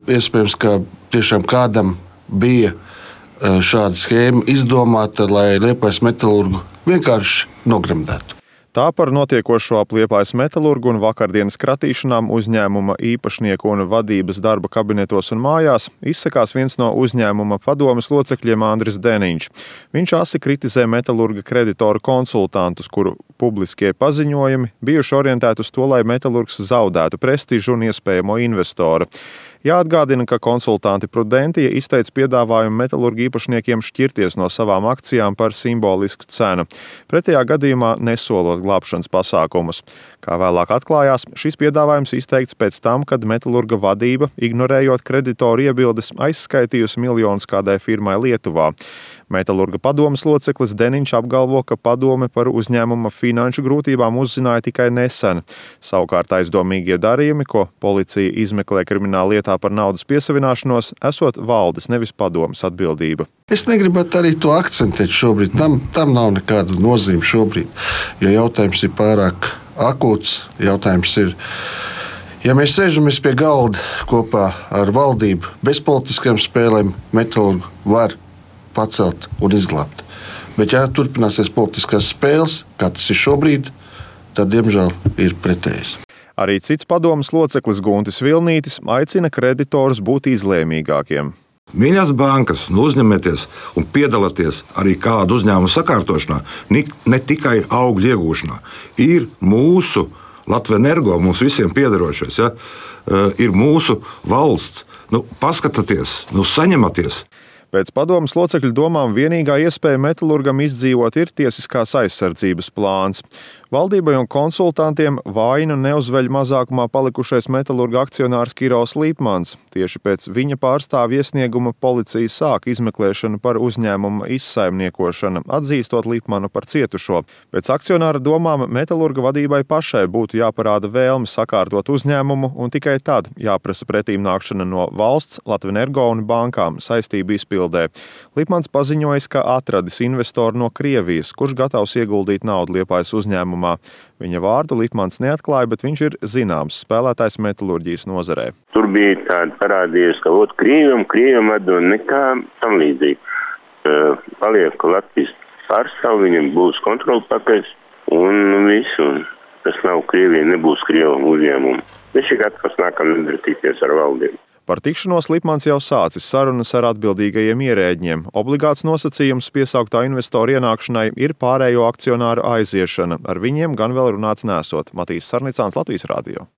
Iespējams, ka tiešām kādam bija šāda schēma izdomāta, lai Liepājas metalurgu vienkārši nogremdētu. Tā par notiekošo ap Liepājas metalurgu un vakardienas kratīšanām uzņēmuma īpašnieku un vadības darba kabinetos un mājās izsakās viens no uzņēmuma padomes locekļiem Andris Deniņš. Viņš asi kritizē metalurga kreditoru konsultantus, kuru publiskie paziņojumi bijuši orientēti uz to, lai metalurgs zaudētu prestižu un iespējamo investoru. Jāatgādina, ka konsultanti Prudentia izteica piedāvājumu metalurgu īpašniekiem šķirties no savām akcijām par simbolisku cenu, pretējā gadījumā nesolot glābšanas pasākumus. Kā vēlāk atklājās, šis piedāvājums izteikts pēc tam, kad metalurga vadība, ignorējot kreditoru iebildes, aizskaitījusi miljonus kādai firmai Lietuvā. Metalurga padomes loceklis Deniņš apgalvo, ka padome par uzņēmuma finanšu grūtībām uzzināja tikai nesen. Savukārt aizdomīgie darījumi, ko policija izmeklē krimināla lietā par naudas piesavināšanos, esot valdes, nevis padomes atbildība. Es negribētu arī to akcentēt šobrīd. Tam nav nekāda nozīme šobrīd, jo jautājums ir pārāk akūts. Jautājums ir, ja mēs sēžamies pie galda kopā ar valdību bez politiskajām spēlēm, metalurgu var pacelt un izglābt. Bet, ja turpināsies politiskās spēles, kā tas ir šobrīd, tad, diemžēl, ir pretējs. Arī cits padomes loceklis Guntis Vilnītis aicina kreditorus būt izlēmīgākiem. Mīļās bankas, uzņemieties un piedalieties arī kādu uzņēmumu sakārtošanā, ne tikai augļu iegūšanā. Ir mūsu Latvenergo, mums visiem piederošais, ja? Ir mūsu valsts. Paskatieties, saņematies. Pēc padomes locekļu domām vienīgā iespēja metalurgam izdzīvot ir tiesiskās aizsardzības plāns. Valdībai un konsultantiem vainu neuzveļ mazākumā palikušais metalurga akcionārs Kirovs Lipmans. Tieši pēc viņa pārstāvja iesnieguma policija sāk izmeklēšanu par uzņēmuma izsaimniekošanu, atzīstot Lipmanu par cietušo. Pēc akcionāra domām metalurga vadībai pašai būtu jāparāda vēlme sakārtot uzņēmumu un tikai tad jāprasa pretīm nākšana no valsts, Latvenergo un bankām saistību izpildē. Lipmans paziņojis, ka atradis investoru no Krievijas, kurš gatavs ieguldīt naudu Liepājas uzņēmumā. Viņa vārdu Lipmans neatklāja, bet viņš ir zināms spēlētājs metalurģijas nozarē. Tur bija tāda parādījusi, ka Krievijam atdod nekā tam līdzīgi. Paliek Latvijas pārstāv, viņam būs kontrolpakaļs un visu. Tas nav Krievija, nebūs Krievu uzņēmumu. Viņš ir gatavs nākamā nedēļa tikties ar valdību. Par tikšanos Lipmans jau sācis sarunas ar atbildīgajiem ierēdņiem. Obligāts nosacījums piesauktā investora ienākšanai ir pārējo akcionāru aiziešana. Ar viņiem gan vēl runāts nesot. Matīs Sarnicāns, Latvijas Radio.